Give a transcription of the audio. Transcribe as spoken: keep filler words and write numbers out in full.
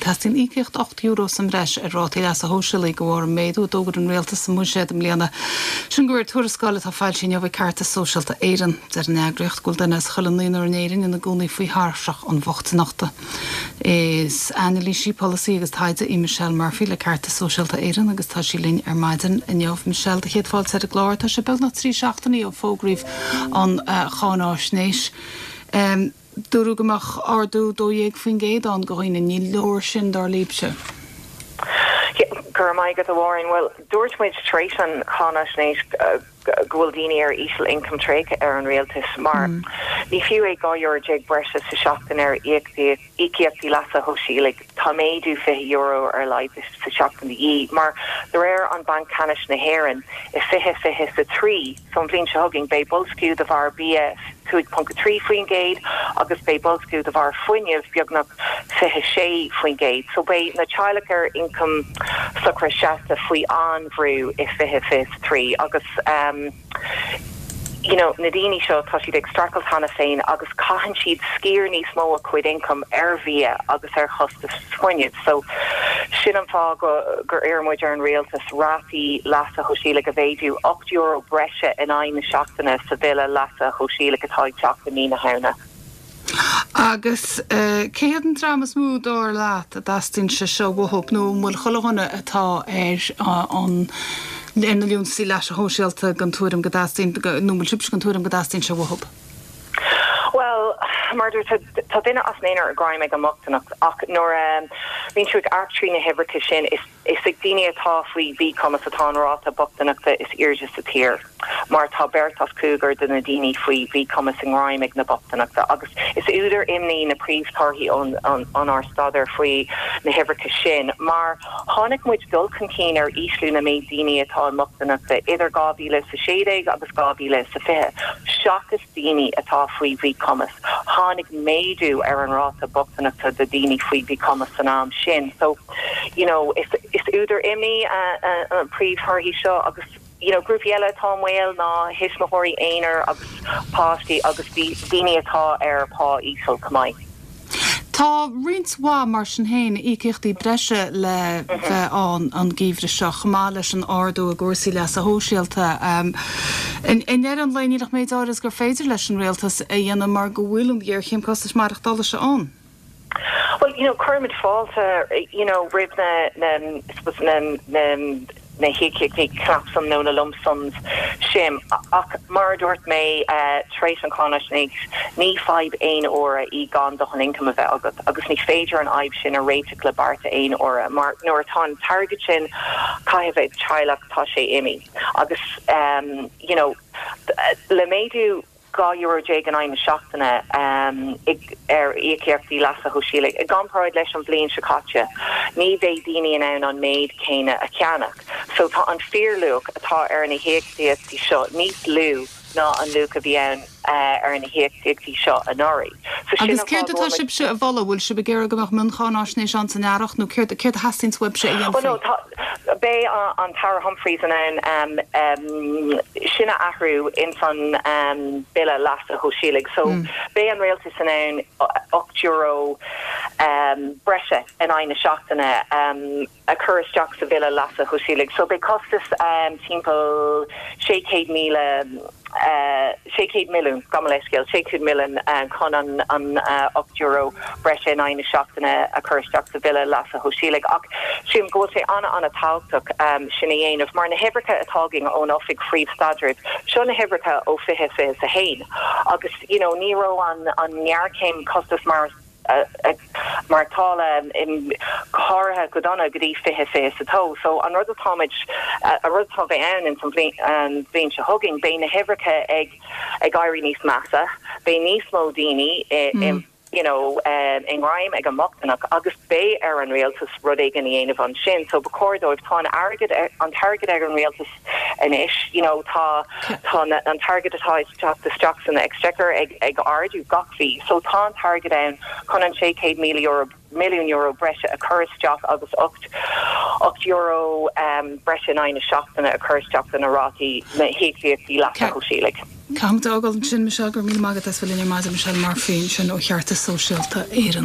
Teastaíonn íocaíocht ocht euro sa mbreis ar rátaí leasa shóisialaigh de bharr an méadú a d'fhógair an rialtas sa mbuiséad i mbliana. Sin de réir tuarascáil atá foilsithe inniu ag Ceartas Sóisialta Éireann. Deir an eagraíocht go bhfuil duine as chuile naonúr in Éirinn ina gcónaí faoi thairseach an bhochtaineachta. Is anailísí polasaí agus taighde í Michelle Murphy le Ceartas Sóisialta Éireann agus tá sí linn ar maidin inniu. Michelle do chéad fáilte ar an gclár tá sé beagnach trí seachtainí ó fógraíodh an uh, cháinaisnéis. Um, Dúradh go mbeadh ardú dó dhéag faoin gcéad ann do dhaoine ní leor sin dar libhse. Go raibh maith agat a Mháirín well dúirt muid tar éis an cháinaisnéis uh, go bhfuil daoine ar íseal ioncam tréigthe ar an rialtas mar mm. ní fiú é dhá euro déag breise sa seachtain ar íocaíochtaí leasa shóisialaigh tá méadú fiche euro ar leid sa seachtain í mar de réir an Banc Ceannais na hÉireann i fiche fiche a trí so an bhliain seo chugainn beidh boilsciú de bharr bia cúig ponc trí faoin gcéad agus beidh boilsciú de bharr fuinnimh beagnach fiche sé faoin gcéad. So beidh na teaghlaigh ar ioncam socra seasta faoi an-bhrú i fiche fiche trí agus um, you know, na daoine seo tá siad ag streachailt cheana féin agus caitheann siad sciar níos mó a cuid ioncam ar bhia agus ar chostas fuinnimh. So sin an fáth go gur iarr muid ar an rialtas rátaí leasa shóisialaigh a mhéadú ocht euro breise in aghaidh na seachtaine sa bhille leasa shóisialaigh atá ag teacht i mí na Samhna. Agus uh, cé hiad an dream is mó dar leat a dteastaíonn sé seo uathu nó an bhfuil chuile dhuine atá ar uh, an ar na liúntaisí leasa shóisialta den tuairim go dteastaíonn nó an bhfuil sibhse den tuairim go dteastaíonn sé uathu. Well mar tá duine as naonúr i ngreim ag an mbochtaineacht ach nuair um, bhíonn tú ag amharc trí na huimhreacha sin is is ag daoine atá faoi mhíchumas atá an ráta bochtaineachta is airde sa tír. Mar tá beirt as cúigear de na daoine faoi mhíchumas i ngreim ag na bochtaineachta agus is údar imní na príomhthorthaí an ár staidéar faoi na huimhreacha sin, mar tháinig muid dul chun cinn ar ísliú na méid daoine atá i mbochtaineachta idir dhá mhíle sa sé déag agus dhá mhíle sa fiche. Seachas daoine atá faoi mhíchumas. Tháinig méadú ar an ráta bochtaineachta de daoine faoi mhíchumas san am sin. So you know, is, is údar imní uh, uh, an príomhthorthaí seo agus you know, grúpaí eile atá i mbaol ná tuismitheoirí aonair agus páistí agus daoine atá ar pá íseal chomh maith. Tá roinnt mhaith mar sin féin íocaíochtaí breise le bheith ann an geimhreadh seo chomh maith leis an ardú i gcúrsaí leasa shóisialta. Um, in ndeireadh an lae níl ach méid áirithe gur féidir leis an rialtas a dhéanamh mar go bhfuil an ghéarchéim costais maireachtála seo ann. Well, you know, cuirimid fáilte, you know, roimh na na na na na híocaíochtaí cnapshuim nó na lump sums sin ach mar dúirt mé uh, tar éis an cháinaisnéis ní fadhb aon uaire í gan dóthain ioncaim a bheith agat agus ní féidir an fhadhb sin a réiteach le bearta aon uaire mar nuair atá an t-airgead sin caite ag teaghlach tá sé imithe agus um, you know, le méadú dhá euro déag in aghaidh na seachtaine um, ar íocaíochtaí leasa shóisialaigh. I gcomparáid leis an bhliain seo caite, ní bheidh daoine in ann an méid céanna a cheannach. So tá an fíorluach atá ar na híocaíochtaí seo níos lú ná an luach a bhí ann uh, ar na híocaíochtaí seo anuraidh. So Agus céard atá sibhse a mholadh bhfuil sibh ag iarraidh go mbeadh mioncháinaisnéis ann san earrach nó céard céard a theastaíonn uaibhse a Oh, no, beidh an tAire Humphreys in ann um, um, sin a athrú in san um, bille leasa shóisialaigh. So mm. beidh an rialtas in ann ocht euro um, breise in aghaidh na seachtaine um, a chur isteach sa bhille leasa shóisialaigh. So beidh costas um, timpeall sé chéad míle uh, sé chéad milliún gabh mo leithscéal sé chéad milliún uh, chun an an uh, ocht euro breise in aghaidh na seachtaine a chur isteach sa bhille leasa shóisialaigh ach sílim go bhfuil sé an an-tábhachtach um, sin a dhéanamh mar na huimhreacha atá againn ón Oifig Phríomh-Staidrimh seo na huimhreacha ó fiche fiche a haon agus you know, ní raibh an an ngéarchéim costas mar maireachtála in go háirithe go dona go dtí fiche fiche a dó. So an rud atáid a rud atá bheith ann in san bhliain seo chugainn, beidh na huimhreacha ag ag éirí níos measa, beidh níos mó daoine mm. you know, um, i ngreim ag an mbochtaineacht agus beidh ar an rialtas rud éigin a dhéanamh ansin, so ba chóir dóibh tá an airgead an t-airgead ag an rialtas anois, you know, tá tá an t-airgead atá teacht isteach san exchequer ag ag ardú gach mí, so tá an t-airgead ann chun an sé chéad míle euro milliún euro breise a chur isteach agus ocht ocht euro um, breise in aghaidh na seachtaine a chur isteach na rátaí na híocaíochtaí leasa shóisialaigh. Caithfidh mé fágáil ansin Michelle go raibh míle maith agat as bheith linn ar maidin Michelle Murphy sin ó Cheartas Sóisialta Éireann.